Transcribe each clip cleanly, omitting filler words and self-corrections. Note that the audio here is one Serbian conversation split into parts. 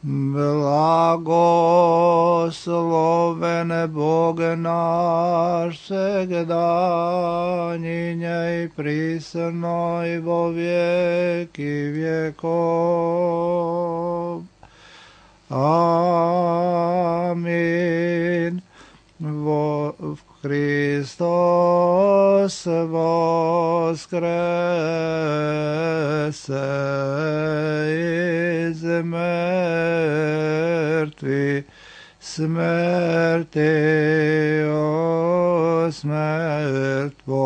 Blagoslovene Boge naš, segdanjinje i prisno i vo vijeki vjekov. Amin. Hristos voskrese iz mrtvih, smrti o smrt poprav.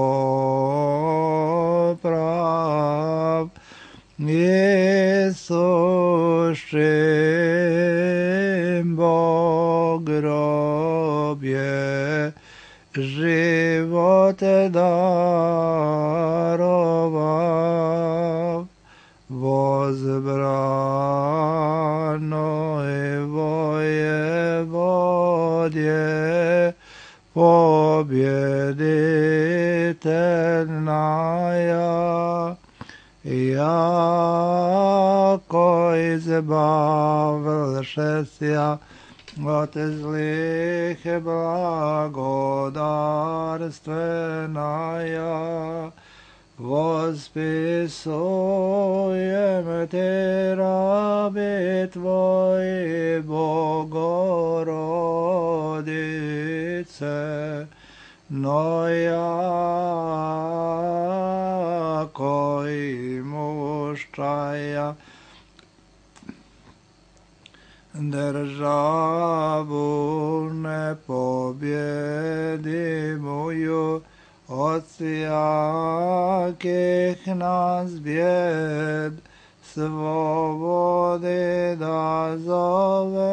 Isušim Bog grobje, živote darovav. Возбрано и воеводje, победительная, яко избавившися от злых благодарственная, восписуем Те, раби Твои, Богородице, но яко имущая державу непобедимую от всяких нас бед, свободы да зовем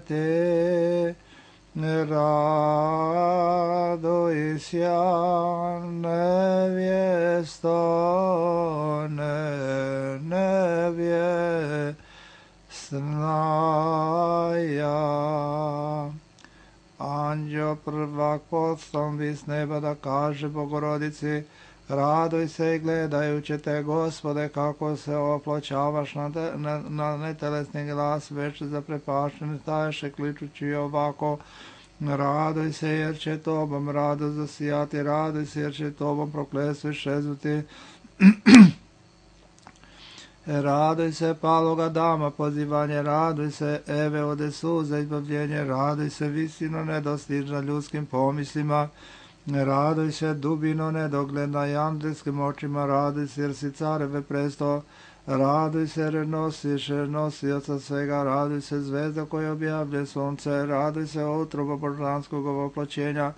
Те. Радуйся, невесто, невестная. Anđeo prvak poslom s neba da kaže Bogorodici, raduj se i gledajući te, Gospode, kako se oploćavaš na netelesni glas, već zaprepašteni staješe kličući ovako, raduj se jer će tobom radost zasijati, raduj se jer će tobom prokletstvo iščeznuti. Raduj se paloga dama, pozivanje, raduj se Eve ode suza, izbavljenje, raduj se visino nedostižna ljudskim pomislima, raduj se dubino nedogledna i andelskim očima, raduj se jer si careve presto, raduj se jer nosiš nosioca svega, raduj se zvezda koja objavlje sunce, raduj se utroba božanskog ovoploćenja,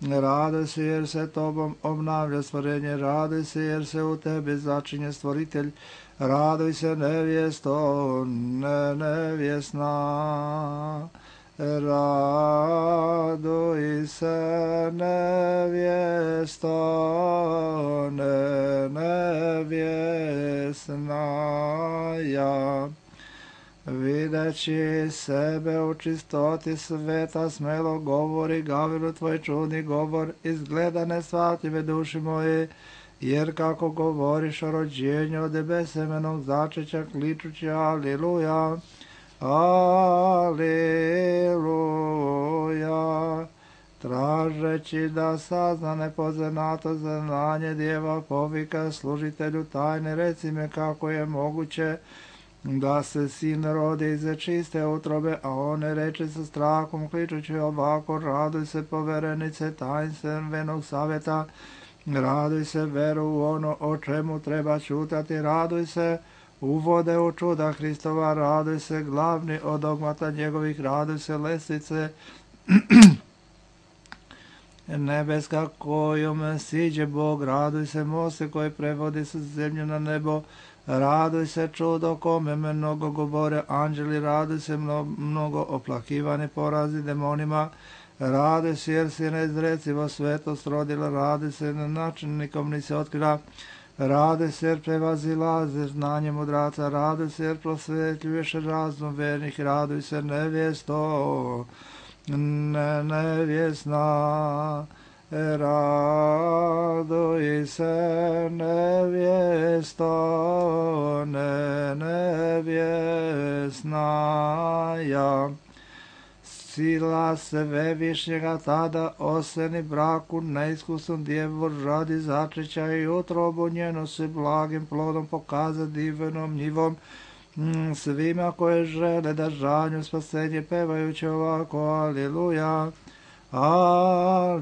raduj se jer se tobom obnavlja stvorenje, raduj se jer se u tebi začinje stvoritelj, raduj se nevjesto, nevjesna, raduj se nevjesto, nevjesna. Videći sebe u čistoti sveta, smelo govori Gavilu tvoj čudni govor, izgleda nesvatljive duši moje, jer kako govoriš o rođenju od besemenog začeća, kličući Aliluja, Aliluja, tražeći da sazna nepoznato znanje djeva, povika služitelju tajne, reci me kako je moguće da se sin rodi iz čiste utrobe, a on ne reče sa strahom, kličući ovako, raduj se poverenice tajnstvenog savjeta, raduj se veru u ono o čemu treba čutati, raduj se uvode u čuda Hristova, raduj se glavni od dogmata njegovih, raduj se lestvice nebeska kojom siđe Bog, raduj se moste koji prevodi sa zemlju na nebo, raduj se čudo kome mnogo govore anđeli, raduj se mnogo oplakivani porazi demonima, raduj se jer si neizrecivo svetost rodila, raduj se na način nikom nisi otkrila, raduj se jer prevazilaze znanje mudraca, raduj se jer prosvetljuješ razum vernih, raduj se nevjesto, nevjesna, Raduj se nevjesto, nevjesnaja. Sila Svevišnjega tada oseni braku neiskusnu djevu radi začeća i utrobu njenu se blagim plodom pokaza divnom njivom svima koje žele da žanju spasenje pevajući ovako aleluja, aleluja.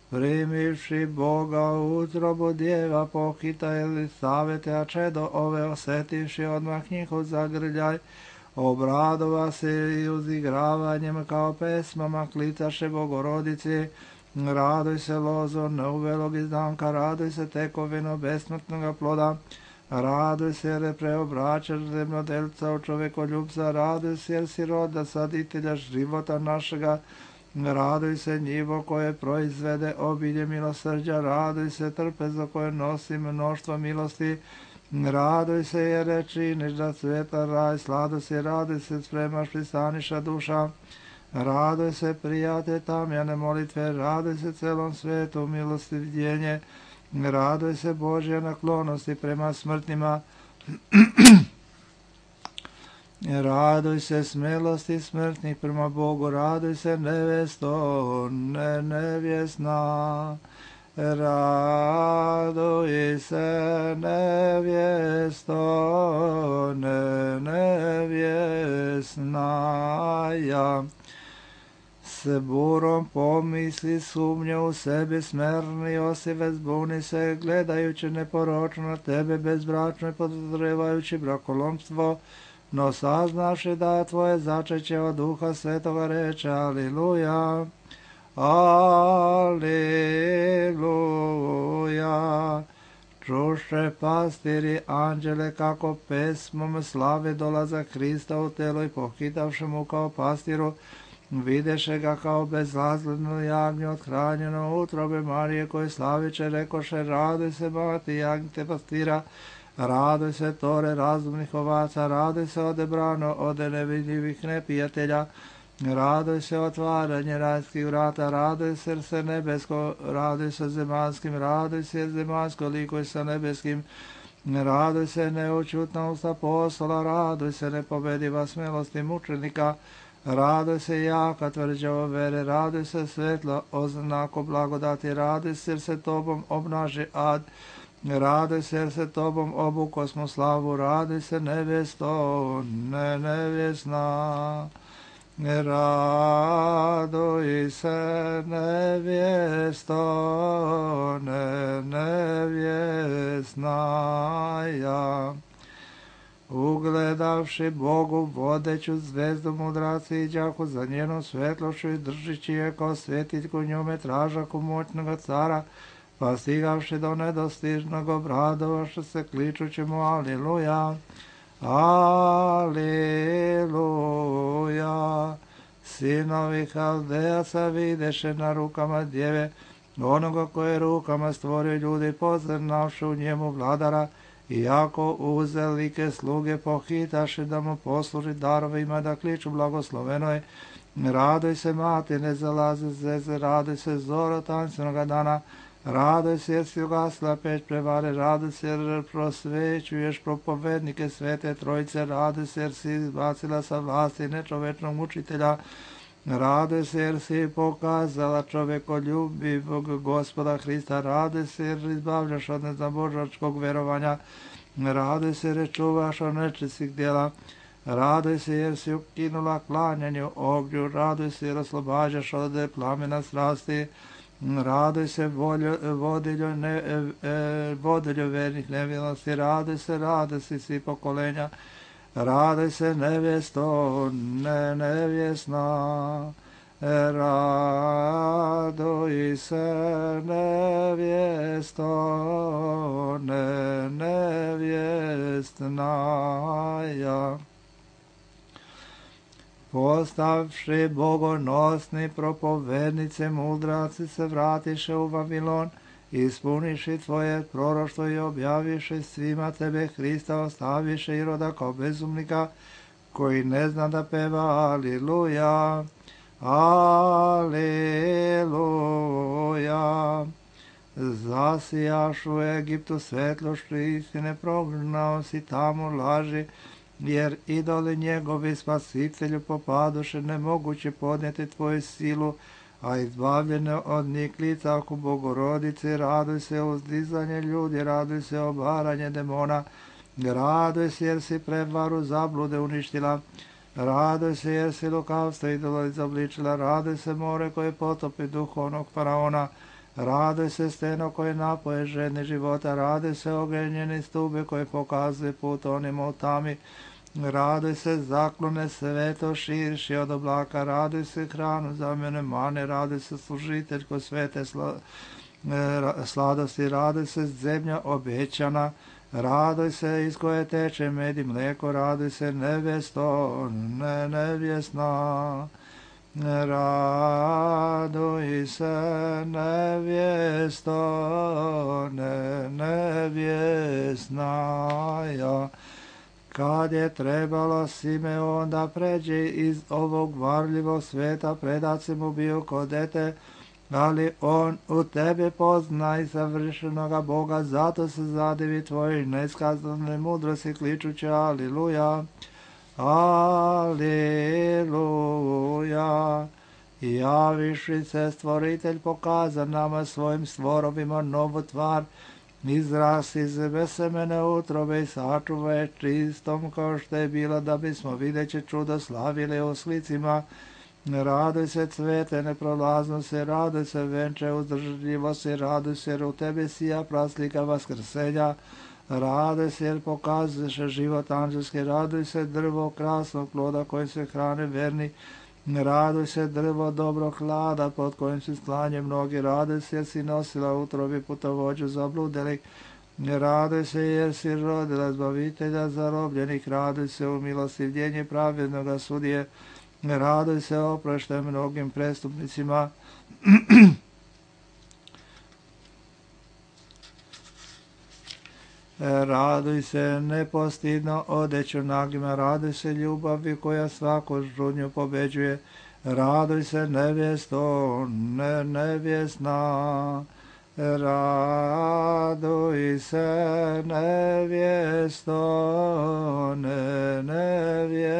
Primivši Boga u utrobu djeva pohita Elisavete, a čedo ove osetivši odmah njihov zagrljaj, obradova se i uzigravanjem kao pesmama klitaše Bogorodici. Raduj se lozo neuvelog izdanka, raduj se tekovino besmrtnoga ploda, raduj se jer je preobraćaš zemljodelca u čovekoljubca, raduj se jer si roda saditelja života našega, raduj se njivo koje proizvede obilje milosrđa, raduj se trpezo koje nosi mnoštvo milosti, raduj se jer je činiš da sveta raj sladosti, raduj se spremaš pristaniša duša, raduj se prijate tamjane molitve, raduj se celom svetu milosti vidjenje, raduj se Božje naklonosti prema smrtnima, raduj se smelosti smrtnih prema Bogu, raduj se nevesto, nevjesna, raduj se nevjesto, nevjesnaja. S burom pomisli sumnje u sebi smerni osive zbuni se, gledajući neporočno na tebe bezbračno i podozrevajući brakolomstvo, no saznaši da tvoje začeće od Duha Svetoga reče aleluja, aleluja. Čuše pastiri anđele kako pesmom slave dolaza Hrista u telo i pohitavši mu kao pastiru, videše ga kao bezazledno jagnje othranjeno utrobe Marije koje slaviće, rekoše raduj se mati jagnjte pastira, raduj se tore razumnih ovaca, raduj se odebrano ode nevidljivih neprijatelja, raduj se otvaranje rajskih vrata, raduj se nebesko, raduj se zemanskim, raduj se zemansko likuj sa nebeskim, raduj se neučutna usta apostola, raduj se nepobediva smelosti mučenika, raduj se jaka tvrđava vere, raduj se svetlo oznako blagodati, raduj se jer se tobom obnaži ad, raduj se jer se tobom obukosmo slavu, raduj se nevjesto, nevjesna, raduj se nevjesto, nevjesnaja. Ugledavši Bogu vodeću zvezdu mudraci iđaku za njenu svetlošću i držići je kao svjetiljku njome tražaku moćnoga cara, pa stigavši do nedostižnog obradovaše se kličući mu aleluja, aleluja. Sinovi Haldeasa videše na rukama djeve onoga koje rukama stvorio ljudi, poznavši u njemu vladara, iako uzelike sluge pohitaše da mu posluži darovima da kliču blagoslovenoj, raduj se mati ne zalaze zeze, raduj se zoro tancenoga dana, raduj se jer si ugasla peć prevare, raduj se jer prosvećuješ propovednike svete trojice, raduj se jer si izbacila sa vlasti nečovečnog mučitelja, raduj se jer si pokazala čovekoljubivog Gospoda Hrista, raduj se jer izbavljaš od nezabožačkog verovanja, raduj se jer čuvaš od nečistih djela, raduj se jer si ukinula klanjanju ognju, raduj se jer oslobađaš od plamena strasti, raduj se vodilju vernih nevinosti, raduj se svi pokolenja, raduj se nevjesto, nevjesna, raduj se nevjesto, nevjesnaja. Postavši bogonosni propovednice mudraci se vratiše u Vavilon, ispuniši tvoje proroštvo i objaviše svima tebe Hrista, ostaviše Iroda kao bezumnika koji ne zna da peva aleluja, Aleluja. Zasijaš u Egiptu svetlošću istine, prognao si tamo laži, jer idoli njegovi spasitelju popadoše, nemoguće podnijeti tvoju silu, a izbavljene od njih lica oko Bogorodice. Raduj se uzdizanje ljudi, raduj se obaranje demona, raduj se jer si prevaru zablude uništila, raduj se jer si lukavstvo idola izobličila, raduj se more koje potopi duhovnog faraona, raduj se steno koje napoje žedni života, raduj se ogenjeni stube koje pokazuje put onima u tami, raduj se zaklone sveto širši od oblaka, raduj se hranu zamjene mane, raduj se služitelj ko svete sladosti, raduj se zemlja obećana, raduj se iz koje teče med i mlijeko, raduj se nevjesto, nevjesna. Raduj se nevjesto, nevjesnaja. Kad je trebalo Simeon da pređe iz ovog varljivog sveta, predat se mu bio ko dete, ali on u tebe pozna i savršenoga Boga, zato se zadivi tvojoj neskazanoj mudrosti, kličući Aliluja, Aliluja. Javiši se stvoritelj, pokaza nama svojim stvorovima novu tvar, izrast iz besemene utrobe i sačuvaj čistom kao što je bila, da bismo videći čudo slavili u slicima. Raduj se cvete neprolaznosti, raduj se venče uzdržljivosti, raduj se jer u tebi sija praslika vaskrsenja, raduj se jer pokazuješ život anđelski, raduj se drvo krasnog ploda kojim se hrane verni, raduj se drvo dobrog hlada pod kojim se sklanje mnogi, raduj se jer si nosila utrobi putovođu zabludelih, raduj se jer si rodila zbavitelja zarobljenih, raduj se u milostivljenje pravednoga sudije, raduj se oproštaj mnogim prestupnicima. Raduj se nepostidno odeću nagima, raduj se ljubavi koja svaku žudnju pobeđuje, raduj se nevjesto, nevjesna, raduj se nevjesto, nevjesnaja.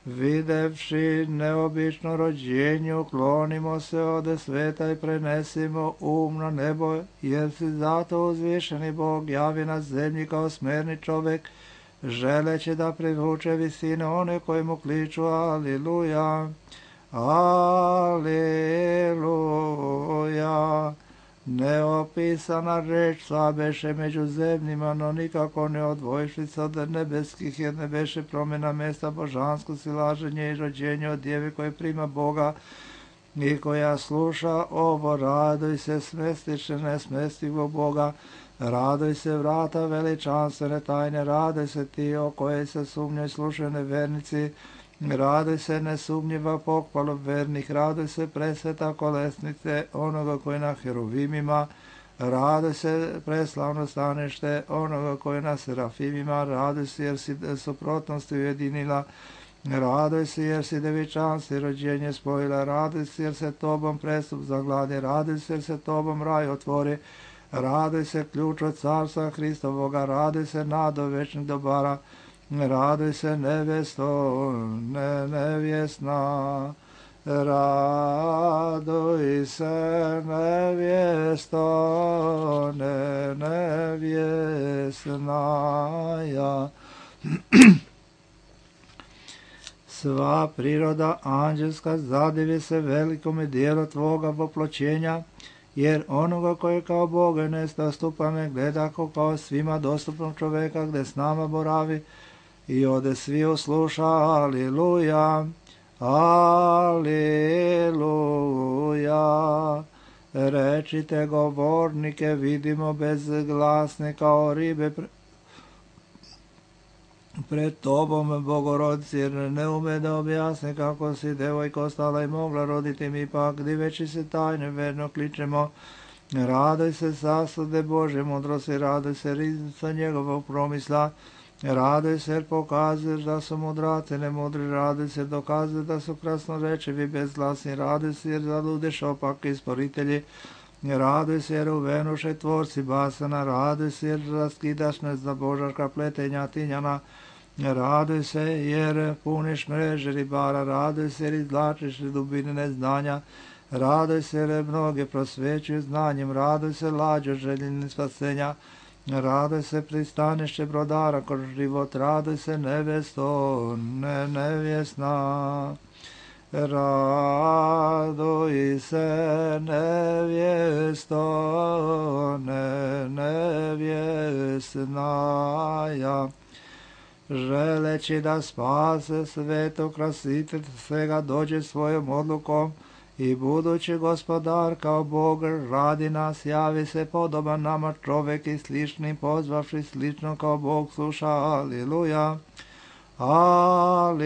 Videvši neobično rođenje, uklonimo se od sveta i prenesimo na nebo, jer si zato uzvišeni Bog javi na zemlji kao smerni čovjek, želeći da privuče visine one koji mu kliču Aliluja, Aliluja. Neopisana reč slabeše među zemljima, no nikako ne odvojiši se od nebeskih, jer ne beše promjena mjesta božansko silaženje i rođenje od djeve koje prima Boga i koja sluša ovo. Raduj se smestiše nesmestivog Boga, raduj se vrata veličanstvene tajne, raduj se ti o koje se sumnjaju slušane vernici, raduj se nesumnjiva pohvala vernih, raduj se presveta kolesnice onoga koji na heruvimima, raduj se preslavno stanište onoga koji na serafimima, raduj se jer si suprotnosti ujedinila, raduj se jer si devičanstvo i rođenje spojila, raduj se jer se tobom prestup zagladi, raduj se jer se tobom raj otvori, raduj se ključ od carstva Hristovoga, raduj se nado večnih dobara, raduj se nevjesto, nevjesna, raduj se nevjesto, nevjesnaja. Sva priroda anđelska zadivi se velikome dijelu tvoga voploćenja, jer onoga koji kao Boga nedostupane gleda kao svima dostupnog čoveka gdje s nama boravi, i ode svi usluša Aliluja, Aliluja. Rečite govornike, vidimo bezglasne kao ribe pred tobom, Bogorodici, jer ne ume da objasne kako si devojka ostala i mogla roditi, mi pak diveći se tajne verno kličemo. Raduj se sasude Bože mudrosti, raduj se riznica njegovog promisla, Raduj se jer pokazuješ da su mudraci nemudri, raduj se jer dokazuješ da su krasnorečivi bezglasni, raduj se jer zaludiš opaki isporitelji, raduj se jer uvenuše tvorci basana, raduj se jer raskidaš nezabožaška pletenja tinjana, raduj se jer puniš mreže ribara, raduj se jer izvlačiš iz dubine neznanja, raduj se jer mnoge prosvećuju znanjem, raduj se lađo željeni spasenja, raduj se pristanište brodara kroz život, raduj se nevesto, nevjesna. Raduj se nevjesto, nevjesnaja. Želeći da spase sveto krasitelj svega dođe svojom odlukom i budući gospodar kao Bog radi nas, javi se podoban nama čovek i slični pozvavši slično kao Bog sluša. Aliluja. Aliluja.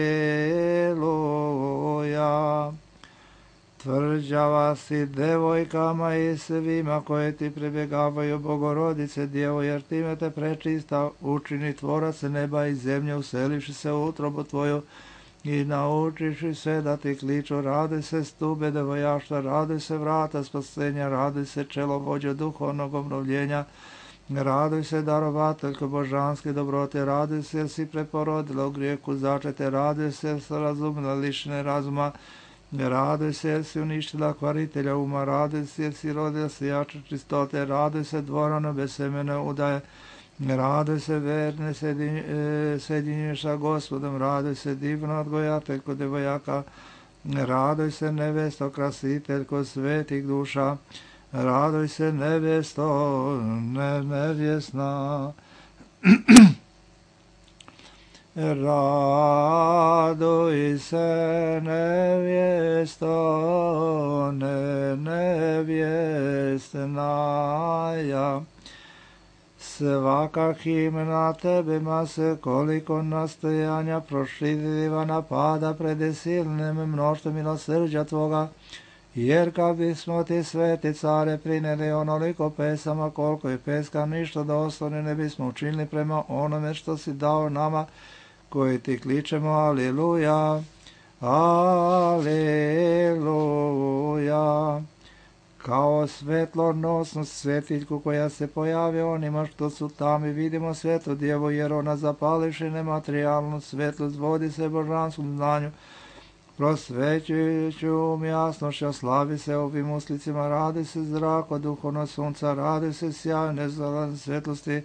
Tvrđava si devojkama i svima koje ti prebjegavaju, Bogorodice Djevo, jer time te prečista učini tvorac neba i zemlje, uselivši se u utrobu tvoju i naučiši se da ti kliču. Raduj se stube devojaštva, raduj se vrata spasenja, raduj se čelo vođa duhovnog obnovljenja, raduj se darovateljko božanske dobrote, raduj se jer si preporodila u grijeku začete, raduj se jer si razumila lišene razuma, raduj se jer si uništila kvaritelja uma, raduj se jer si rodila sijača čistote, raduj se dvorano bez semene udaje, raduj se verne sjedinješ sa Gospodom, raduj se divno odgojateljko devojaka, raduj se nevesto krasiteljko svetih duša, raduj se nevesto, nevjesna. Raduj se nevjesto, nevjesnaja. Svaka himna tebima se koliko nastojanja prošljiva napada pred silnim mnoštvom milosrđa tvoga, jer kad bismo ti sveti care prineli onoliko pesama koliko je peska, ništa doslovno ne bismo učinili prema onome što si dao nama koji ti kličemo. Aliluja, aliluja. Kao svetlonosnu svetiljku koja se pojavi onima što su tamo i vidimo svetu djevu, jer ona zapalivši nematerijalnu svetlost vodi se božanskom znanju, prosvećujući jasnošću, slavi se ovim uslicima, radi se zrako duhovno sunca, radi se sjaj nezalazne svetlosti,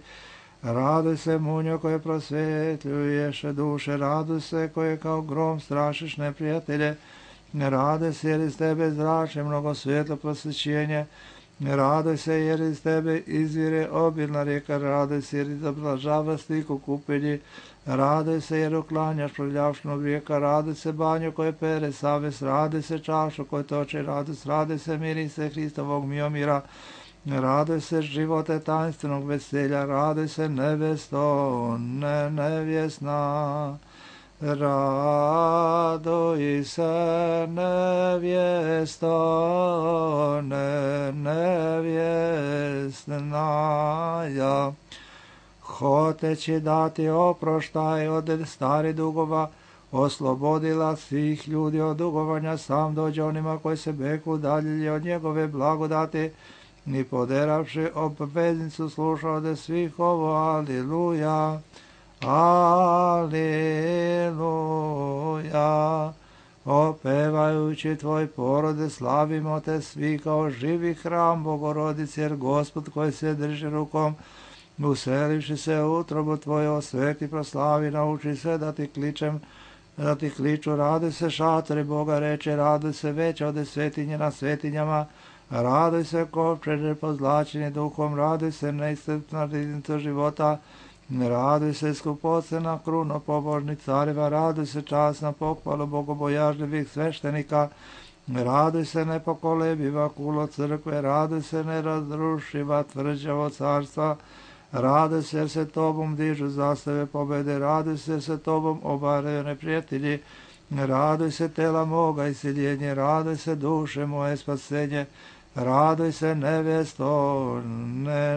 radi se munjo koje prosvetljuješ duše, radi se koje kao grom strašiš neprijatelje, radi se jer iz tebe zrače mnogo svetlo prosvećenje, radi se jer iz tebe izvire obilna rijeka, radi se jer izoblažava stiku kupelji, radi se jer uklanjaš prljavšnog vijeka, radi se banjo koje pere savest, radi se čašu koje toče radost, radi se mirise Hristovog miomira, radi se živote tajnstvenog veselja, radi se nevesto, nevjesna. Raduj se nevjesto, nevjesnaja. Hoteći dati oproštaj od starih dugova, oslobodila svih ljudi od dugovanja, sam dođe onima koji se beku udaljili od njegove blagodati, ni poderavši obveznicu sluša od svih ovo. Aliluja, aliluja. Opevajući tvoj porode, slavimo te svi kao živi hram Bogorodice, jer Gospod koji se drži rukom, uselivši se u utrobu tvoje, osveti, proslavi, nauči se da ti kliču, raduj se šatori Boga reče, raduj se veća od svetinje na svetinjama, raduj se kovčeže pozlačeni duhom, raduj se neiscrpna riznica života, raduj se skupocena kruno pobožnih careva, raduj se časna pohvalu bogobojažljivih sveštenika, raduj se nepokolebiva kulo crkve, raduj se nerazrušiva tvrđavo carstva, raduj se jer se tobom dižu zastave pobede, raduj se jer se tobom obaraju neprijatelji, raduj se tela moga iseljenje, raduj se duše moje spasenje, raduj se nevjesto,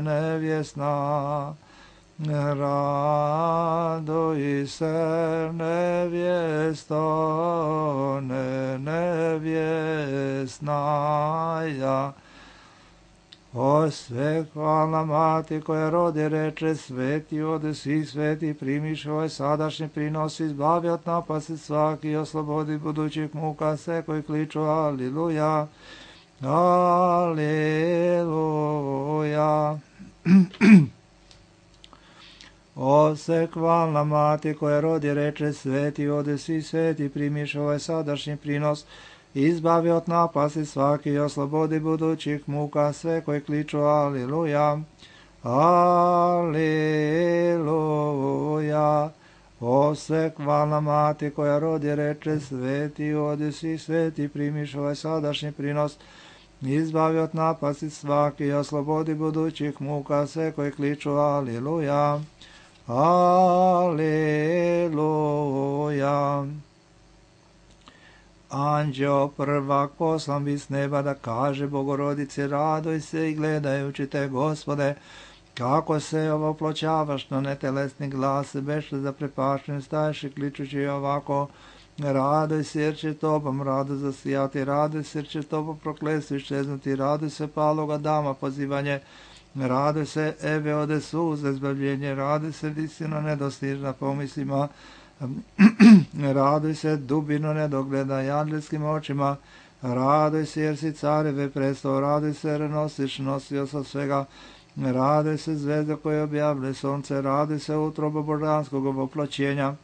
nevjesna. Raduj se, nevjesto, nevjesnaja. O svetlana mati koja rodi reče, sveti ode svih sveti, primiš ovaj sadašnji prinos, izbavi od napasti svaki, oslobodi budućih muka sve koji kliču aliluja, aliluja. O sekvalna mati koja rodi reče, sveti ode svi sveti, primiš ovaj sadašnji prinos, izbavi od napasti svaki i oslobodi budućih muka sve koji kliču aliluja, aliluja. O sekvalna mati koja rodi reče, sveti ode svi sveti, primiš ovaj sadašnji prinos, izbavi od napasti svaki i oslobodi budućih muka sve koji kliču aliluja, aliluja. Anđeo prvak poslan bi s neba da kaže Bogorodici, radoj se i gledajući te, Gospode, kako se ovoploćavaš na netelesni glas, bešle zaprepašten staješ i kličući ovako, radoj se jer će tobom rado zasijati, radoj se jer će tobom prokletstvo iščeznuti, radoj se paloga dama pozivanje, radoj se eve ode suze zbavljenje, radoj se visino nedostižna pomislima, raduj se dubino nedogleda anđelskim očima, raduj se jer si careve prestao, raduj se jer nosiš nosioca svega, raduj se zvezda koje objavlja sonce, raduj se utrobo božanskog ovoploćenja,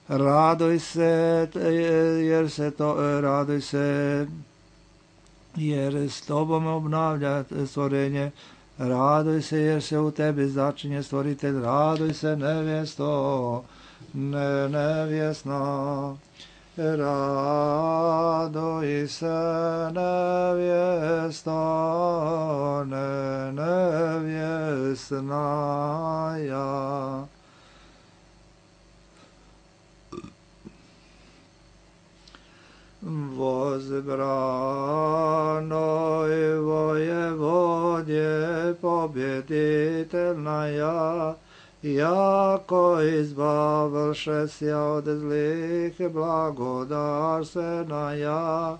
raduj se jer s tobom obnavlja stvorenje, raduj se jer se u tebi začinje stvoritelj, raduj se nevjesto, nevjesna, raduj se nevjesto, nevjesnaja. Возбранoj vojevodje pobjeditelnaja, jako izbavlše sja od zlih blagodarstvenaja,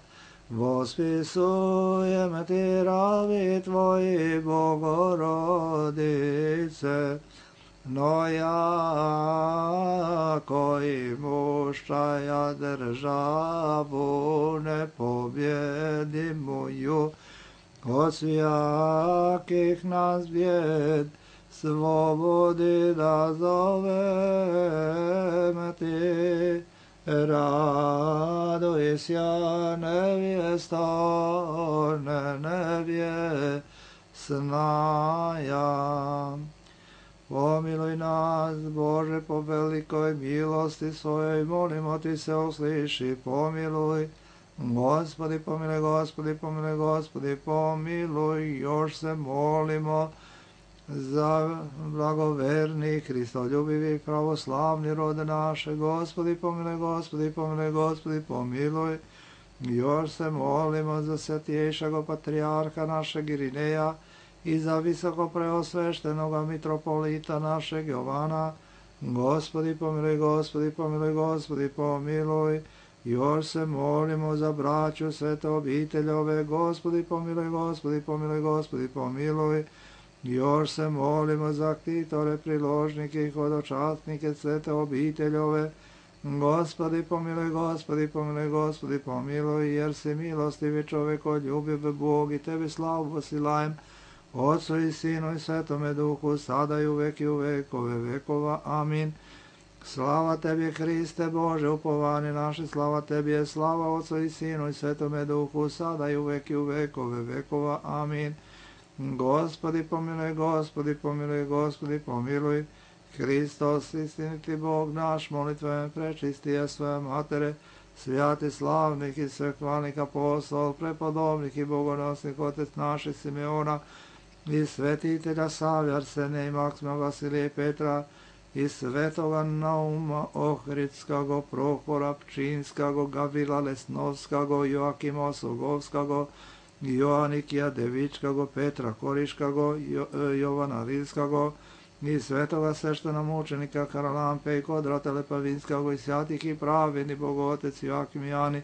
vospisujem ti ravi tvoji, Bogorodice, no ja koji mušaja državu ne pobjedi moju, od svijakih nas bijed slobodi da zovem ti, raduj sja nevjesto, nevjesnaja. Pomiluj nas, Bože, po velikoj milosti svojoj, molimo ti se, usliši, pomiluj. Gospodi, pomiluj, Gospodi, pomiluj, Gospodi, pomiluj, još se molimo za blagoverni, Hristoljubivi, pravoslavni rod naše. Gospodi, pomiluj, Gospodi, pomiluj, Gospodi, pomiluj, još se molimo za svetiješeg patrijarha našeg Irineja, i za visoko preosveštenoga mitropolita našeg Jovana. Gospodi pomiluj, Gospodi pomiluj, Gospodi pomiluj, još se molimo za braću svete obiteljove. Gospodi pomiluj, Gospodi pomiluj, Gospodi pomiluj, još se molimo za ktitore, priložnike i hodočasnike svete obiteljove. Gospodi pomiluj, Gospodi pomiluj, Gospodi pomiluj, jer si milostivi čovjeko, ljubiv Bog, i tebi slavu posilajem, Otcu i Sinu i Svetome Duhu, sada i uvek i u vekove vekova. Amin. Slava tebi, Hriste Bože, upovanje naše, slava tebi je, slava Otcu i Sinu i Svetome Duhu, sada i uvek i u vekove vekova. Amin. Gospodi pomiluj, Gospodi pomiluj, Gospodi pomiluj, Hristos, istiniti Bog naš, molitve prečistije svoje matere, svijati slavnih i svehvalnih apostol, prepodobnih i bogonosnih otec naših Simeona, i svetitelja Savija, Arsenija i Maksima, Vasilija i Petra, i svetoga Nauma Ohridskago, Prohora Pčinskago, Gavila Lesnovskago, Joakima Osogovskago, Joanikija Devičkago, Petra Koriškago, Jovana Rilskago, i svetoga sveštena mučenika Karalampe i Kodrata Lepavinskog i svятih i pravedni Bogotec Joakim Jani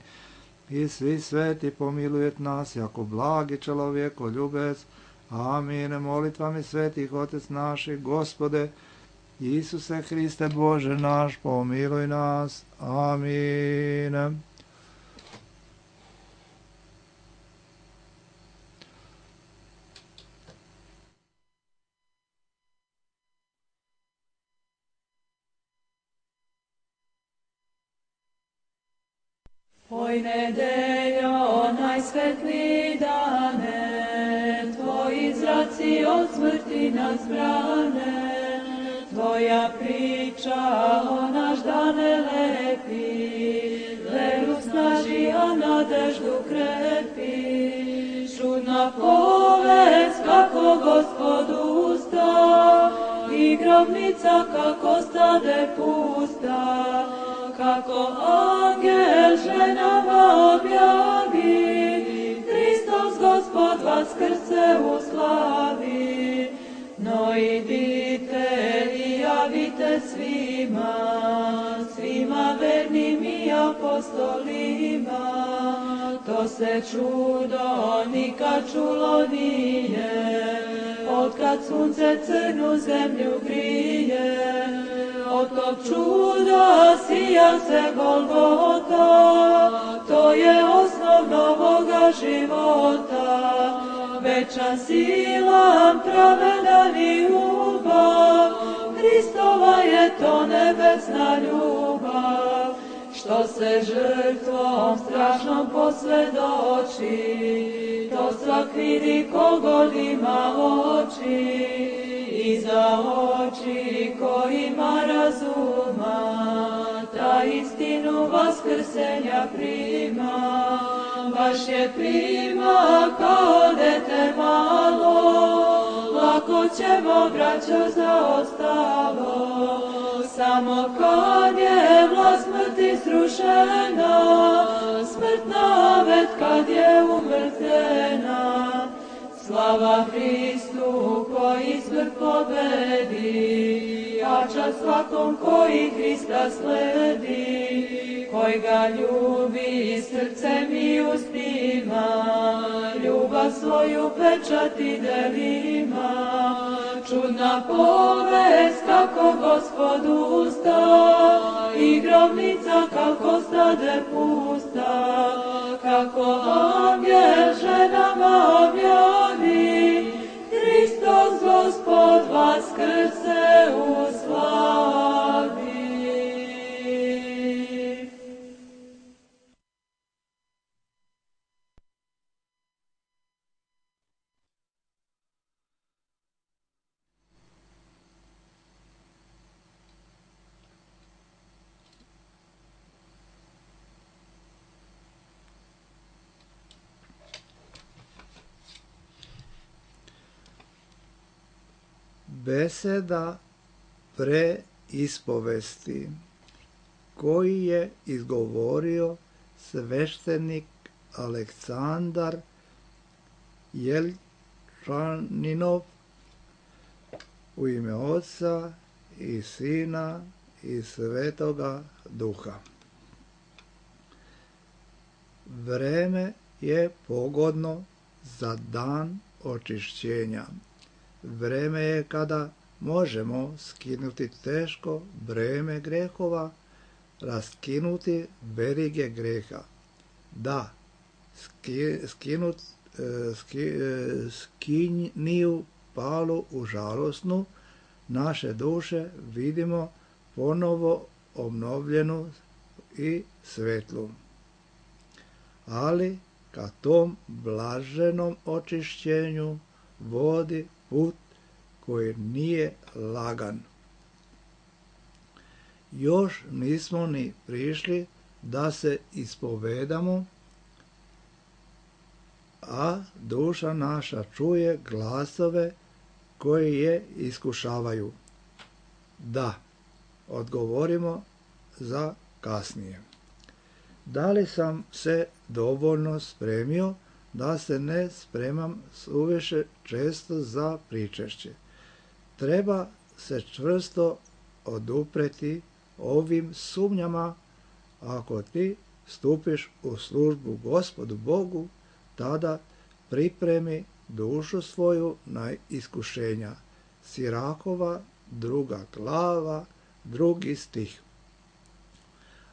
i svi sveti pomilujet nas jako blagi čelovjeko ljubec. Amin. Molitvami svetih Otec naših, Gospode, Isuse Hriste Bože naš, pomiluj nas. Amin. Oj nedeljo, najsvetliji dane, Tvoji zraci od smrti nas brane, Tvoja priča o naš dane lepi, veru snaži, a nadeždu krepi. Čudna povest kako Gospod usta, i grobnica kako stade pusta, kako angel ženama objavi, Hristos Gospod vaskrse u slavi. No idite i javite svima, svima vernim i apostolima, to se čudo nikad čulo nije, otkad sunce crnu zemlju grije. Od tog čuda sija se Golgota, to je osnov novoga života. Večna sila, pravedan i ljubav, Hristova je to nebesna ljubav, što se žrtvom strašnom posvjedoči, to svak vidi ko god ima oči, i za oči ko ima razuma, ta istinu vaskrsenja prima. Baš je prima kao dete malo, lako ćemo braćo zaostalo, samo kad je vlast smrti srušena, smrtna vet kad je umrtvljena. Slava Hristu koji smrt pobedi, a čast svakom koji Hrista sledi, koji ga ljubi srcem i ustima, ljubav svoju pečati delima. Čudna povest kako Gospod usta, i grobnica kako stade pusta, kako angel ženama objavi, Hristos Gospod vaskrse u slavi. Beseda preispovesti koji je izgovorio sveštenik Aleksandar Jelčaninov u ime Oca i Sina i Svetoga Duha. Vreme je pogodno za dan očišćenja. Vreme je kada možemo skinuti teško breme grehova, raskinuti verige greha. Da, skiniju palu u žalosnu, naše duše vidimo ponovo obnovljenu i svetlu. Ali ka tom blaženom očišćenju vodi put koji nije lagan. Još nismo ni prišli da se ispovedamo, a duša naša čuje glasove koji je iskušavaju. Da, odgovorimo za kasnije. Da li sam se dovoljno spremio da se ne spremam suviše često za pričešće? Treba se čvrsto odupreti ovim sumnjama. Ako ti stupiš u službu Gospodu Bogu, tada pripremi dušu svoju na iskušenja. Sirakova 2. glava, 2. stih.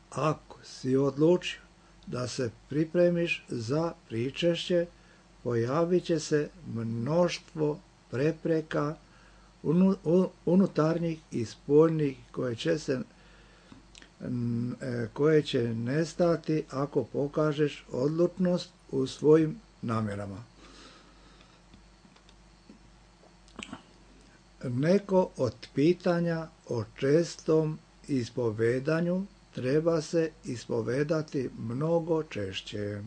Ako si odlučio da se pripremiš za pričešće, pojavit će se mnoštvo prepreka unutarnjih i spoljnih koje će nestati ako pokažeš odlučnost u svojim namjerama. Neko od pitanja o čestom ispovedanju treba se ispovedati mnogo češće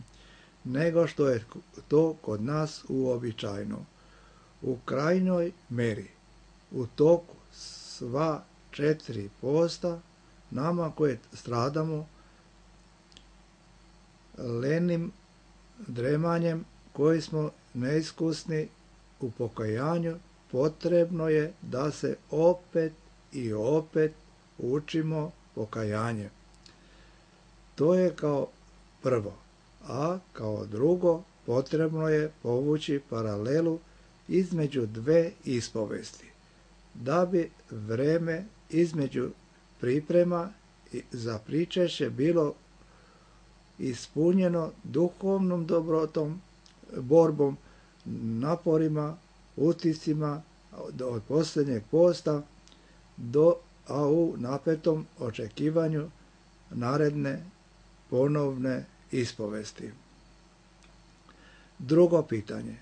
nego što je to kod nas uobičajeno. U krajnjoj meri, u toku sva 4 posta, nama koje stradamo lenim dremanjem, koji smo neiskusni u pokajanju, potrebno je da se opet i opet učimo pokajanje. To je kao prvo, a kao drugo potrebno je povući paralelu između 2 ispovesti, da bi vreme između priprema za pričešće bilo ispunjeno duhovnom dobrotom, borbom, naporima, utiscima od posljednjeg posta a u napetom očekivanju naredne ponovne ispovesti. Drugo pitanje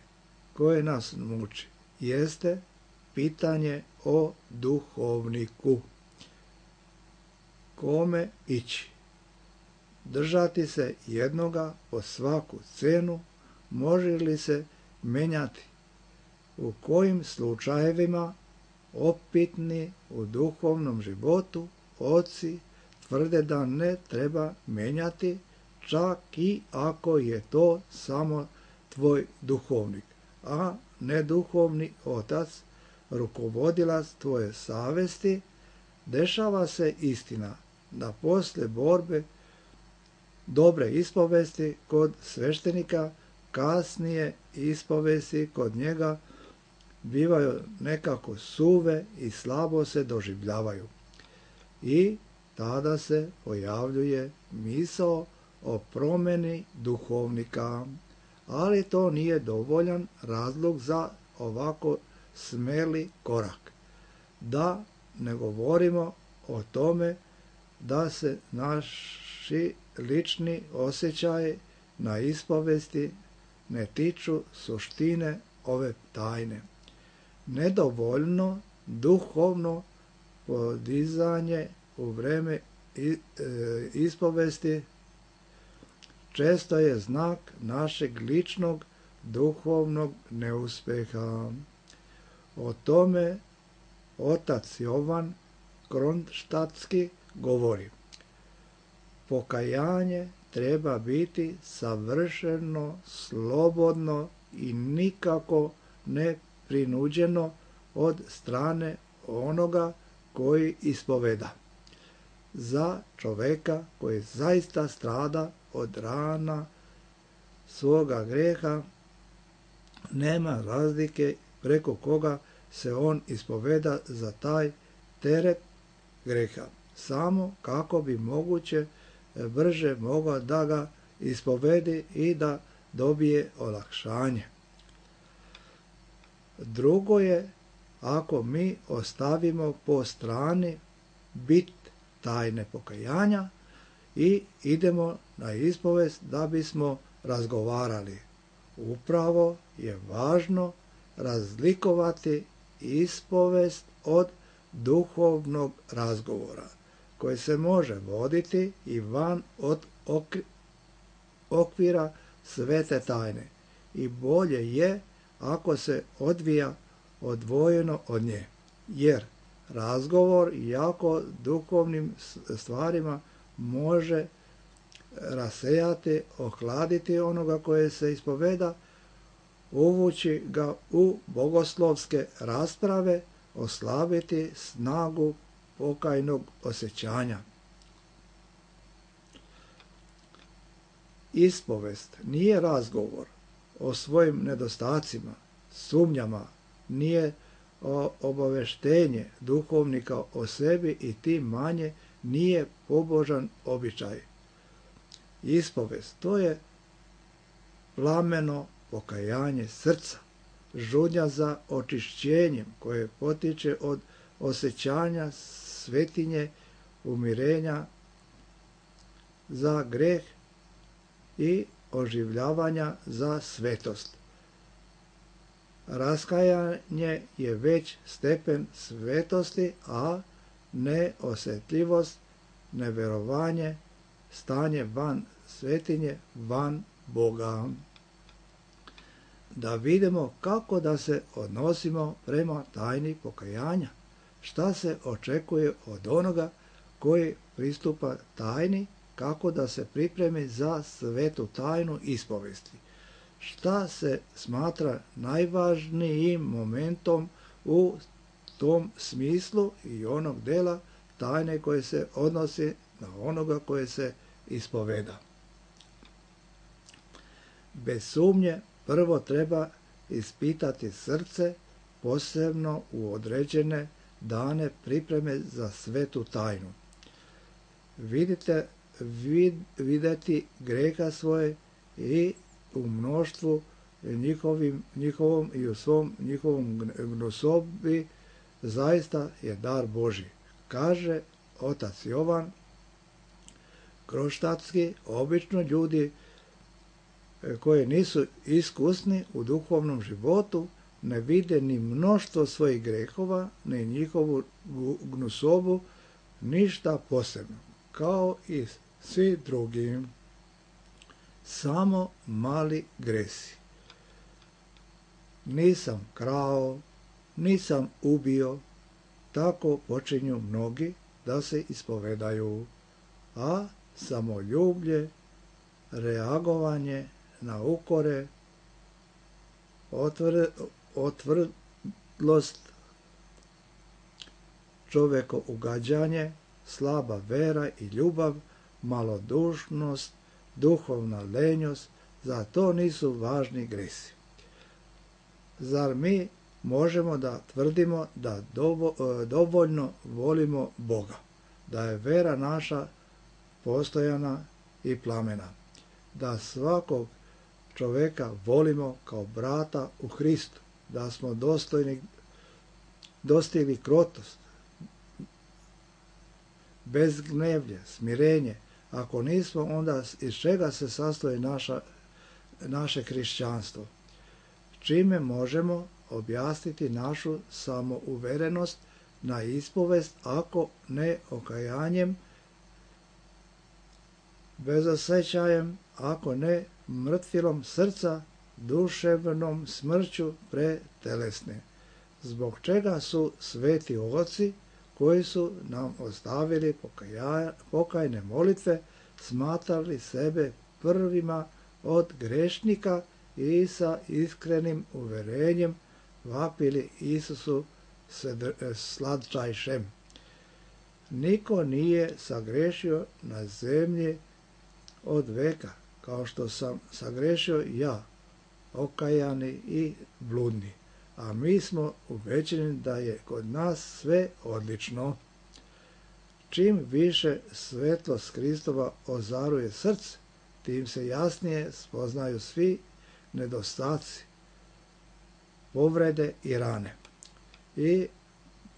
koje nas muči jeste pitanje o duhovniku. Kome ići? Držati se jednoga po svaku cenu? Može li se menjati? U kojim slučajevima opitni u duhovnom životu oci tvrde da ne treba menjati, čak i ako je to samo tvoj duhovnik, a ne duhovni otac, rukovodilac tvoje savesti. Dešava se istina da posle borbe dobre ispovesti kod sveštenika, kasnije ispovesti kod njega bivaju nekako suve i slabo se doživljavaju. I tada se pojavljuje misao o promjeni duhovnika, ali to nije dovoljan razlog za ovako smeli korak. Da ne govorimo o tome da se naši lični osjećaji na ispovesti ne tiču suštine ove tajne. Nedovoljno duhovno podizanje u vreme ispovesti često je znak našeg ličnog duhovnog neuspeha. O tome otac Jovan Kronštatski govori: pokajanje treba biti savršeno, slobodno i nikako ne prinuđeno od strane onoga koji ispoveda. Za čoveka koji zaista strada od rana svoga greha, nema razlike preko koga se on ispoveda za taj teret greha, samo kako bi moguće brže mogao da ga ispovedi i da dobije olakšanje. Drugo je ako mi ostavimo po strani bit tajne pokajanja i idemo na ispovest da bismo razgovarali. Upravo je važno razlikovati ispovest od duhovnog razgovora, koji se može voditi i van od okvira svete tajne, i bolje je ako se odvija odvojeno od nje, jer razgovor jako duhovnim stvarima može rasejati, ohladiti onoga koje se ispoveda, uvući ga u bogoslovske rasprave oslabiti snagu pokajnog osjećanja. Ispovest nije razgovor o svojim nedostacima, sumnjama, nije obaveštenje duhovnika o sebi i tim manje nije pobožan običaj. Ispovest, to je plameno pokajanje srca, žudnja za očišćenjem koje potiče od osjećanja svetinje, umirenja za greh i oživljavanja za svetost. Raskajanje je već stepen svetosti, a neosjetljivost, neverovanje, stanje van svetinje, van Boga. Da vidimo kako da se odnosimo prema tajni pokajanja, šta se očekuje od onoga koji pristupa tajni, kako da se pripremi za svetu tajnu ispovesti. Šta se smatra najvažnijim momentom u tom smislu i onog dela tajne koje se odnosi na onoga koje se ispoveda. Bez sumnje prvo treba ispitati srce, posebno u određene dane pripreme za svetu tajnu. Videti greha svoje i u mnoštvu njihovom i u svom njihovom gnusobi zaista je dar Božji. Kaže otac Jovan Kroštatski, obično ljudi koji nisu iskusni u duhovnom životu ne vide ni mnoštvo svojih grehova, ni njihovu gnusobu, ništa posebno, kao i svi drugi. Samo mali gresi. Nisam krao, nisam ubio, tako počinju mnogi da se ispovedaju, a samoljublje, reagovanje na ukore, otvrdlost, čovjeko ugađanje, slaba vera i ljubav, malodušnost, duhovna lenjost, za to nisu važni gresi. Zar mi možemo da tvrdimo da dovoljno volimo Boga, da je vera naša postojana i plamena, da svakog čoveka volimo kao brata u Hristu, da smo dostigli krotost, bezgnevlje, smirenje. Ako nismo, onda iz čega se sastoji naše hrišćanstvo? Čime možemo objasniti našu samouverenost na ispovest, ako ne okajanjem, bezosjećajem, ako ne mrtvilom srca, duševnom smrću pretelesne? Zbog čega su sveti oci koji su nam ostavili pokajne molitve smatrali sebe prvima od grešnika i sa iskrenim uverenjem vapili Isusu slatčajšem? Niko nije sagrešio na zemlji od veka, kao što sam sagrešio ja, okajani i bludni. A mi smo ubeđeni da je kod nas sve odlično. Čim više svetlost Hristova ozaruje srce, tim se jasnije spoznaju svi nedostaci, povrede i rane. I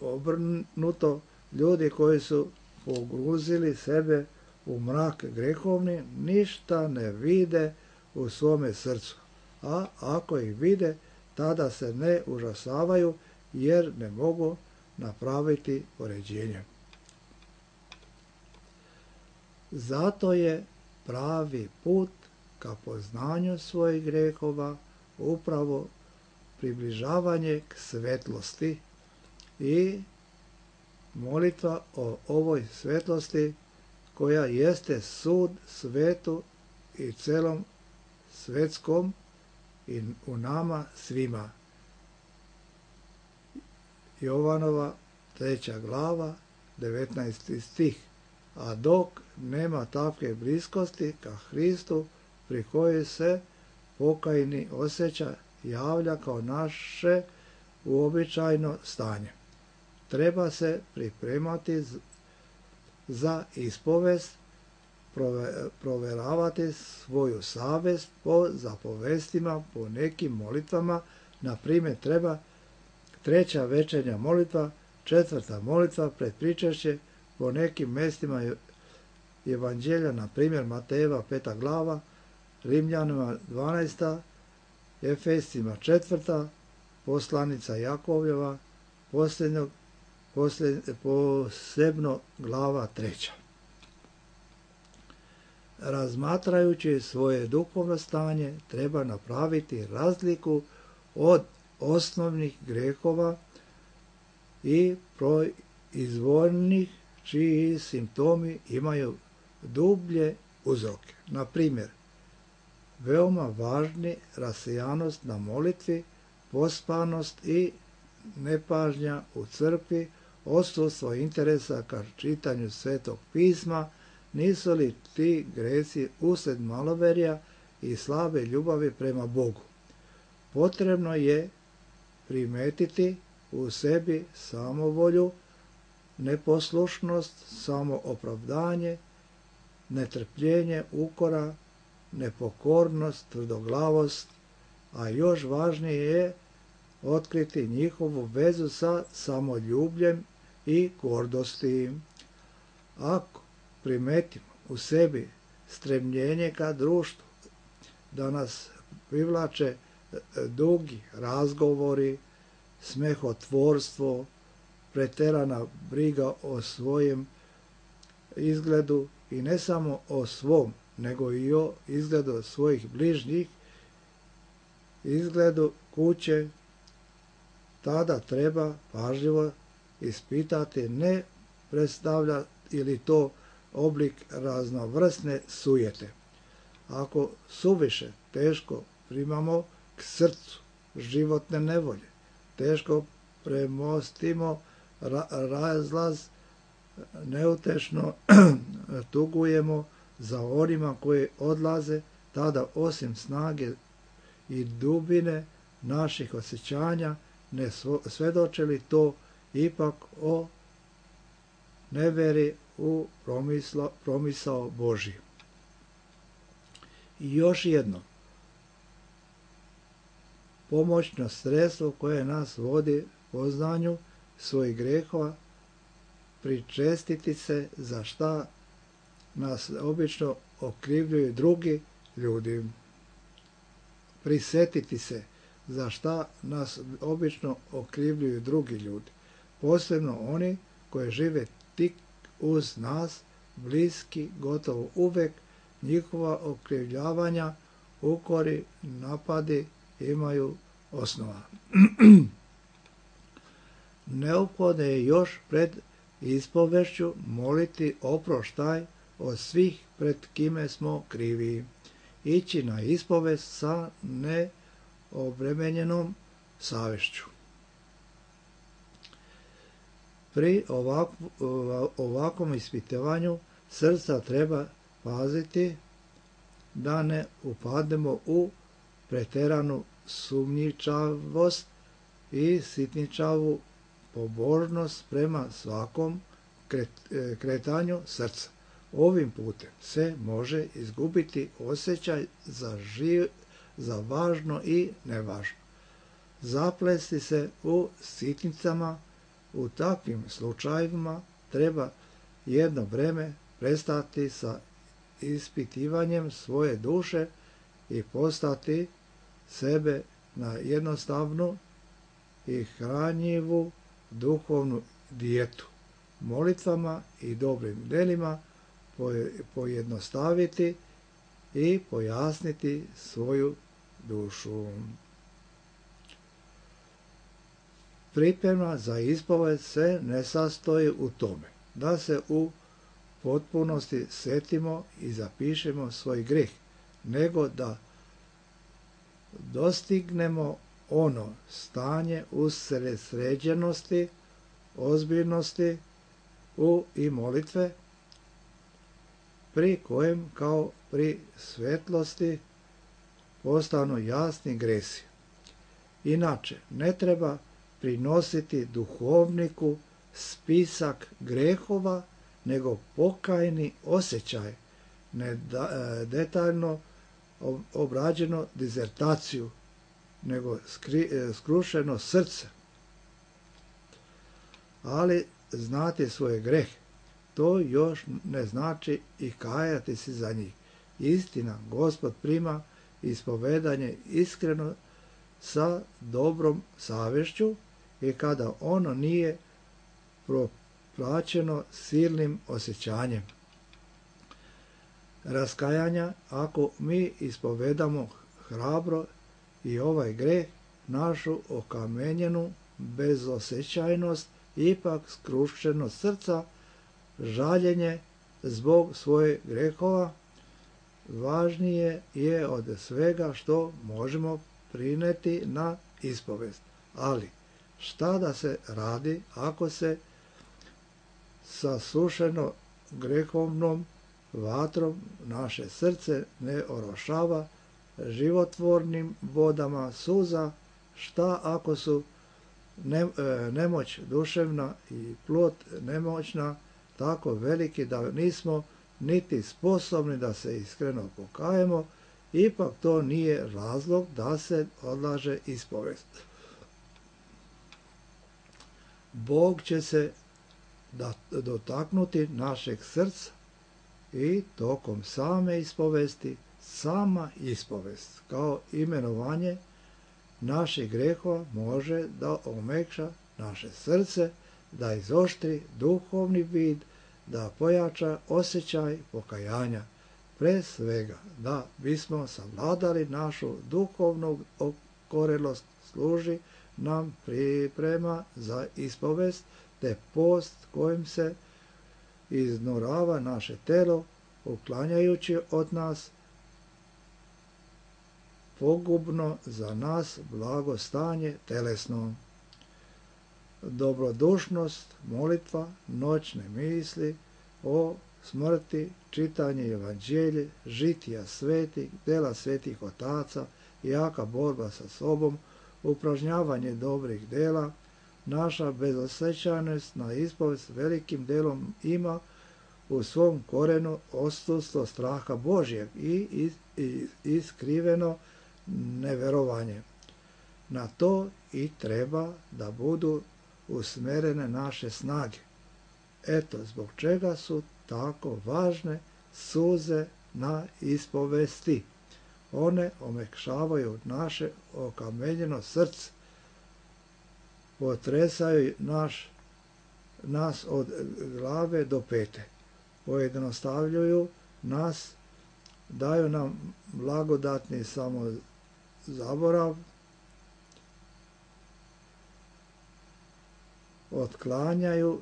obrnuto, ljudi koji su pogruzili sebe u mrak grehovni, ništa ne vide u svome srcu. A ako ih vide, tada se ne užasavaju, jer ne mogu napraviti poređenje. Zato je pravi put ka poznanju svojih grehova upravo približavanje k svetlosti i molitva o ovoj svetlosti koja jeste sud svetu i celom svetskom i u nama svima. Jovanova 3. glava 19. stih. A dok nema takve bliskosti ka Hristu pri kojoj se pokajni osjeća javlja kao naše uobičajeno stanje. Treba se pripremati za ispovest, proveravati svoju savest po zapovestima, po nekim molitvama. Na primjer, treba 3. večernja molitva, 4. molitva pred pričešće, po nekim mjestima evanđelja, na primjer Matejeva 5. glava, Rimljanima 12. Efescima 4. poslanica Jakovljeva, posebno glava 3. Razmatrajući svoje duhovno stanje, treba napraviti razliku od osnovnih grehova i proizvoljnih čiji simptomi imaju dublje uzroke. Na primjer, veoma važni rasijanost na molitvi, pospanost i nepažnja u crkvi, odsustvo interesa ka čitanju Svetog pisma. Nisu li ti gresi uslijed maloverja i slabe ljubavi prema Bogu? Potrebno je primetiti u sebi samovolju, neposlušnost, samoopravdanje, netrpljenje, ukora, nepokornost, tvrdoglavost, a još važnije je otkriti njihovu vezu sa samoljubljem i gordosti. Ako primetimo u sebi stremljenje ka društvu, da nas privlače dugi razgovori, smehotvorstvo, preterana briga o svojem izgledu i ne samo o svom, nego i o izgledu svojih bližnjih, izgledu kuće, tada treba pažljivo ispitati ne predstavlja ili to oblik raznovrsne sujete. Ako suviše teško primamo k srcu životne nevolje, teško premostimo razlaz, neutešno tugujemo za onima koji odlaze, tada osim snage i dubine naših osjećanja ne svedoče li to ipak o neveri u promisao Božji. I još jedno pomoćno sredstvo koje nas vodi poznanju svojih grehova, pričestiti se za šta nas obično okrivljuju drugi ljudi. Prisetiti se za šta nas obično okrivljuju drugi ljudi, posebno oni koji žive tik uz nas, bliski, gotovo uvek, njihova okrivljavanja, ukori, napadi imaju osnova. Neophodno je još pred ispovešću moliti oproštaj od svih pred kime smo krivi, ići na ispovest sa neobremenjenom savješću. Pri ovakvom ispitivanju srca treba paziti da ne upadnemo u preteranu sumnjičavost i sitničavu pobožnost prema svakom kretanju srca. Ovim putem se može izgubiti osjećaj za važno i nevažno. Zaplesti se u sitnicama. U takvim slučajevima treba jedno vreme prestati sa ispitivanjem svoje duše i postati sebe na jednostavnu i hranjivu duhovnu dijetu, molitvama i dobrim djelima pojednostaviti i pojasniti svoju dušu. Priprema za ispovest se ne sastoji u tome da se u potpunosti setimo i zapišemo svoj greh, nego da dostignemo ono stanje usredsređenosti, ozbiljnosti i molitve, pri kojem kao pri svetlosti postanu jasni gresi. Inače, ne treba prinositi duhovniku spisak grehova, nego pokajni osjećaj, detaljno obrađeno dizertaciju, nego skrušeno srce. Ali znati svoje grehe, to još ne znači i kajati se za njih. Istina, Gospod prima ispovedanje iskreno sa dobrom savješću i kada ono nije propraćeno silnim osjećanjem raskajanja. Ako mi ispovedamo hrabro i ovaj greh, našu okamenjenu bezosjećajnost, ipak skrušenost srca, žaljenje zbog svojih grehova, važnije je od svega što možemo prineti na ispovest. Ali šta da se radi ako se sasušeno grehovnom vatrom naše srce ne orošava životvornim vodama suza? Šta ako su nemoć duševna i plot nemoćna tako veliki da nismo niti sposobni da se iskreno pokajemo? Ipak to nije razlog da se odlaže ispovest. Bog će se dotaknuti našeg srca i tokom same ispovesti, sama ispovest kao imenovanje naših grehova može da omekša naše srce, da izoštri duhovni vid, da pojača osjećaj pokajanja. Pre svega, da bismo savladali našu duhovnu okorelost, služi nam priprema za ispovest, te post kojim se iznorava naše telo, uklanjajući od nas pogubno za nas blagostanje telesno. Dobrodušnost, molitva, noćne misli o smrti, čitanje evanđelje, žitija svetih, dela svetih otaca, jaka borba sa sobom, upražnjavanje dobrih dela, naša bezosjećajnost na ispovest velikim delom ima u svom korenu odsustvo straha Božjeg i iskriveno neverovanje. Na to i treba da budu usmerene naše snage. Eto zbog čega su tako važne suze na ispovesti. One omekšavaju naše okamenjeno srce, potresaju nas od glave do pete, pojednostavljuju nas, daju nam blagodatni samozaborav, otklanjaju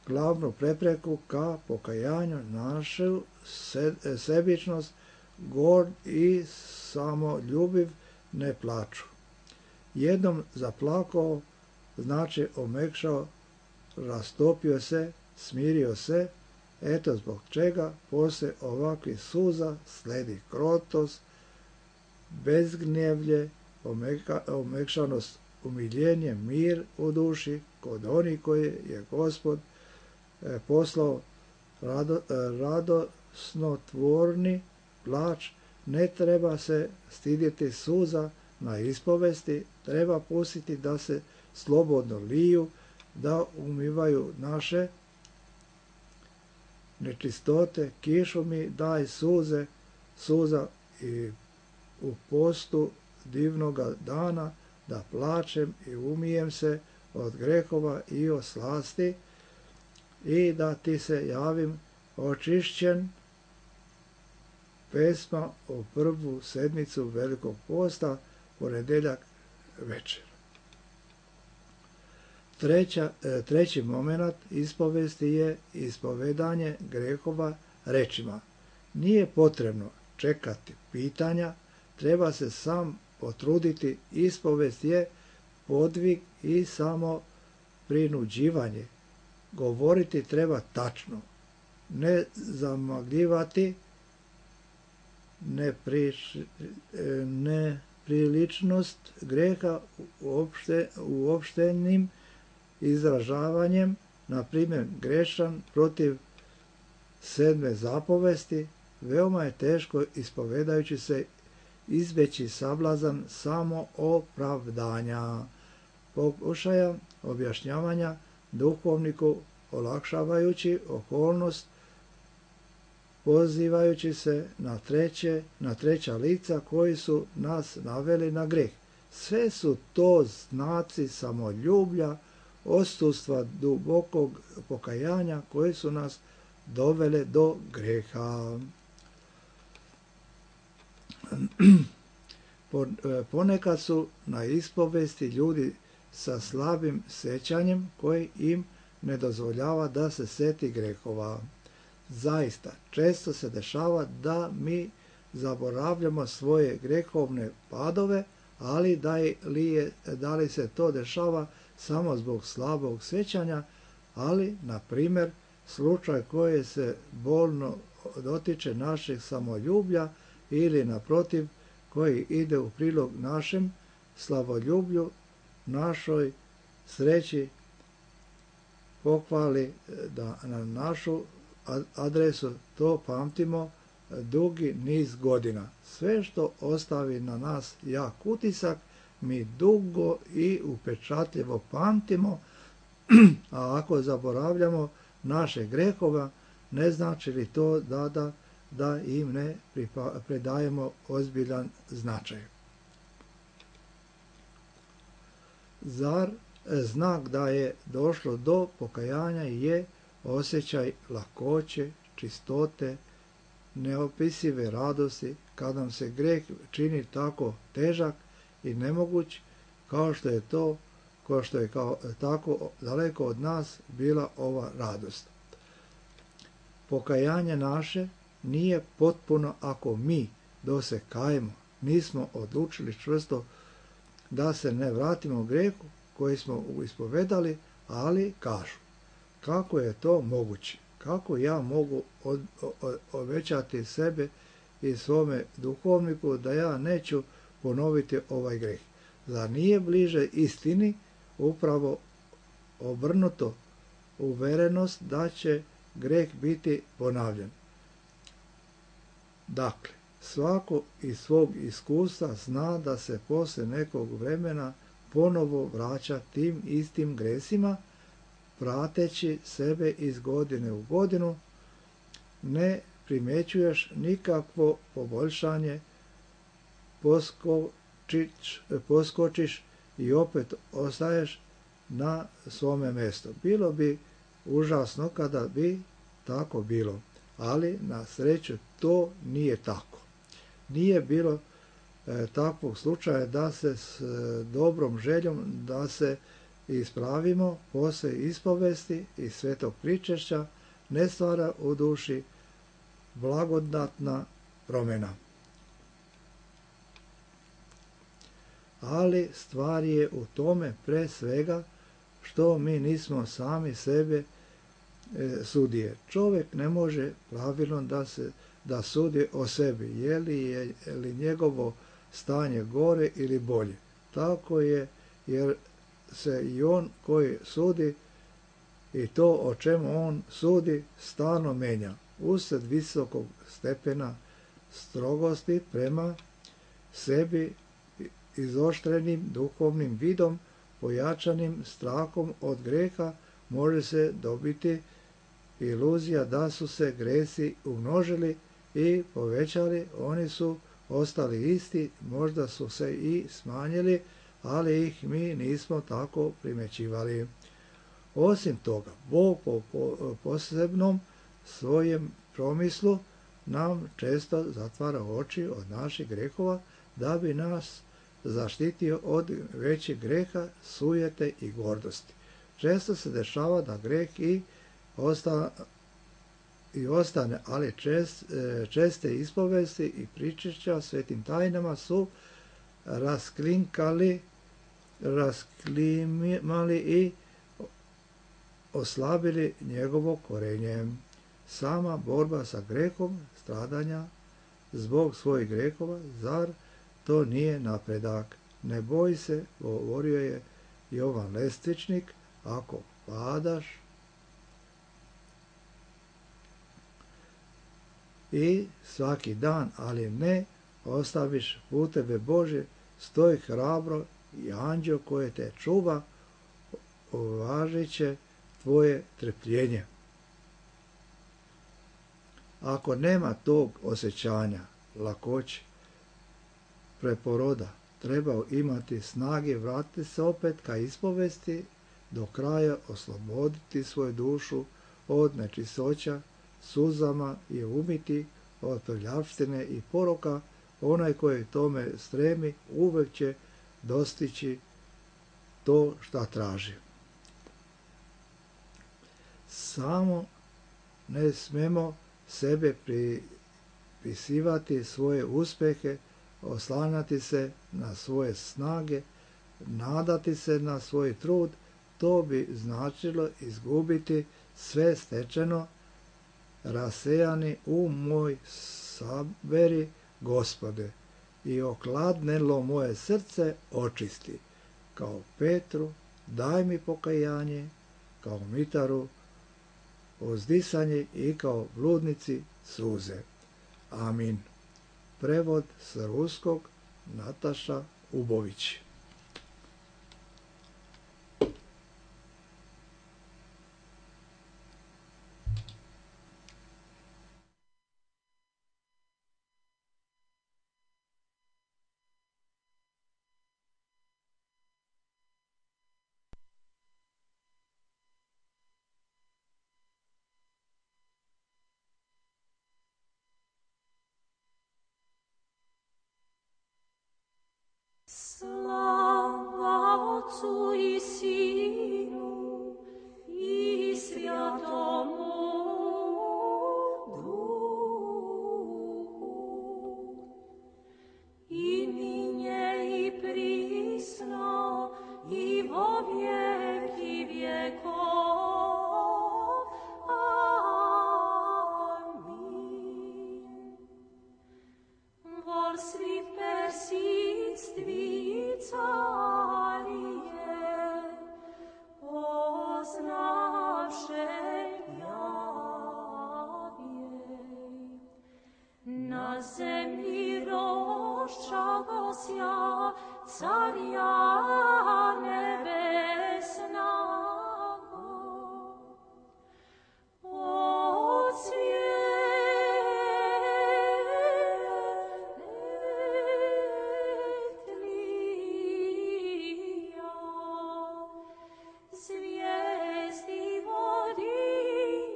glavnu prepreku ka pokajanju, našu sebičnost, gord i samoljubiv ne plaču. Jednom zaplakao, znači omekšao, rastopio se, smirio se. Eto zbog čega poslije ovakvih suza sledi krotost, bezgnjevlje, omekšanost, umiljenje, mir u duši kod onih koji je Gospod poslao radosnotvorni plač. Ne treba se stidjeti suza na ispovesti, treba pustiti da se slobodno liju, da umivaju naše nečistote. Kišu mi daj suza i u postu divnoga dana, da plačem i umijem se od grehova i od slasti i da ti se javim očišćen. Pesma o prvu sedmicu Velikog posta, ponedjeljak večer. Treći moment ispovesti je ispovedanje grehova rečima. Nije potrebno čekati pitanja treba se sam potruditi. Ispovest je podvig i samo prinuđivanje. Govoriti treba tačno, ne zamagljivati, nepriličnost greha uopštenim izražavanjem, na primjer grešan protiv 7. zapovesti. Veoma je teško ispovedajući se izbeći sablazan samo opravdanja, pokušaja objašnjavanja duhovniku olakšavajući okolnost, pozivajući se na treća lica koji su nas naveli na greh. Sve su to znaci samoljublja, odsustva dubokog pokajanja koji su nas dovele do greha. Ponekad su na ispovesti ljudi sa slabim sećanjem koji im ne dozvoljava da se seti grehova. Zaista, često se dešava da mi zaboravljamo svoje grehovne padove, ali da li se to dešava samo zbog slabog sećanja, ali, na primjer, slučaj koji se bolno dotiče našeg samoljublja ili, naprotiv, koji ide u prilog našem slavoljublju, našoj sreći, pohvali da na našu adresu to pamtimo dugi niz godina. Sve što ostavi na nas jak utisak, mi dugo i upečatljivo pamtimo, a ako zaboravljamo naše grehova, ne znači li to da im ne predajemo ozbiljan značaj. Zar znak da je došlo do pokajanja je osjećaj lakoće, čistote, neopisive radosti, kad nam se greh čini tako težak i nemoguć, kao što je tako daleko od nas bila ova radost. Pokajanje naše nije potpuno ako mi, dok se kajemo, nismo odlučili čvrsto da se ne vratimo grehu koji smo ispovedali, ali kažu, kako je to moguće? Kako ja mogu obećati sebe i svome duhovniku da ja neću ponoviti ovaj greh? Zar nije bliže istini upravo obrnuto, uverenost da će greh biti ponavljan? Dakle, svako iz svog iskustva zna da se poslije nekog vremena ponovo vraća tim istim gresima, prateći sebe iz godine u godinu, ne primjećuješ nikakvo poboljšanje, poskočiš i opet ostaješ na svome mjestu. Bilo bi užasno kada bi tako bilo, ali na sreću to nije tako. Nije bilo takvog slučaja da se s dobrom željom da se ispravimo poslije ispovesti i svetog pričešća ne stvara u duši blagodatna promjena. Ali stvar je u tome pre svega što mi nismo sami sebe sudije. Čovjek ne može pravilno da sudi o sebi, je li njegovo stanje gore ili bolje. Tako je, jer se i on koji sudi i to o čemu on sudi stalno menja. Usred visokog stepena strogosti prema sebi, izoštrenim duhovnim vidom, pojačanim strahom od greha, može se dobiti iluzija da su se gresi umnožili i povećali, oni su ostali isti, možda su se i smanjili, ali ih mi nismo tako primjećivali. Osim toga, Bog po posebnom svojem promislu nam često zatvara oči od naših grehova da bi nas zaštitio od većih greha, sujete i gordosti. Često se dešava da greh i i ostane, ali česte ispovesti i pričešća svetim tajnama su rasklimali i oslabili njegovo korenje. Sama borba sa grehom, stradanja zbog svojih grehova, zar to nije napredak? Ne boj se, govorio je Jovan Lestvičnik, ako padaš i svaki dan, ali ne ostaviš puteve Bože, stoj hrabro i anđeo koje te čuva, uvažit će tvoje trpljenje. Ako nema tog osjećanja, lakoće, preporoda, treba imati snage vratiti se opet ka ispovesti, do kraja osloboditi svoju dušu od nečistoća, suzama je umiti od prljavštine i poroka. Onaj koji tome stremi uvek će dostići to šta traži. Samo ne smemo sebe pripisivati svoje uspjehe, oslanjati se na svoje snage, nadati se na svoj trud. To bi značilo izgubiti sve stečeno. Rasejani moj saberi, Gospode, i okladnelo moje srce očisti. Kao Petru daj mi pokajanje, kao Mitaru uzdisanje i kao bludnici suze. Amin. Prevod s ruskog Nataša Ubović. Slava Otcu i Sinu i Svjatomu Duhu, i ninje i prisno i vo vjeki vjekov. Amin. Vol svi persistvi carije, poznavše javjej. Na zemlji roščagosja carja nebesnago. Od zvijezdi vodi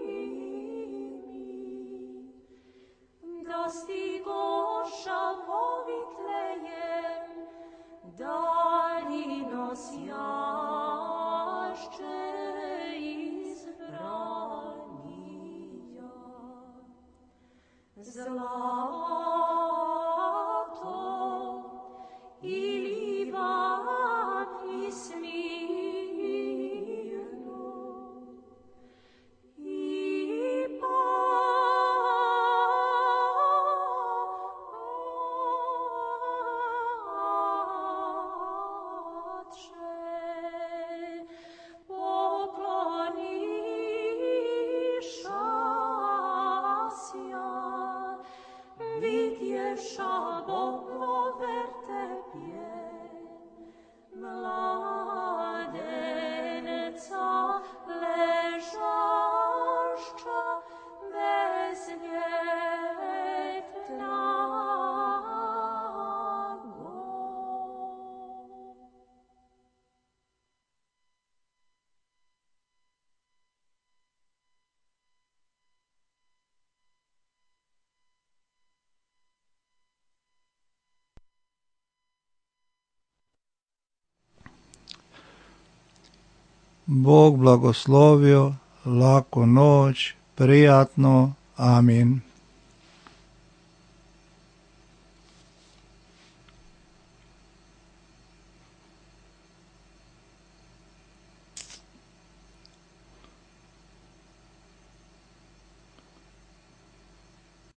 mi, dostigoša povitlejem, daljinos jašće izbranija. Zlato i Liban i Smirno i Patře pokloniša sja, vidješa Bogover tebje, mladenca ležašća bezljetnago. Bog blagoslovio, laku noć, prijatno Amin.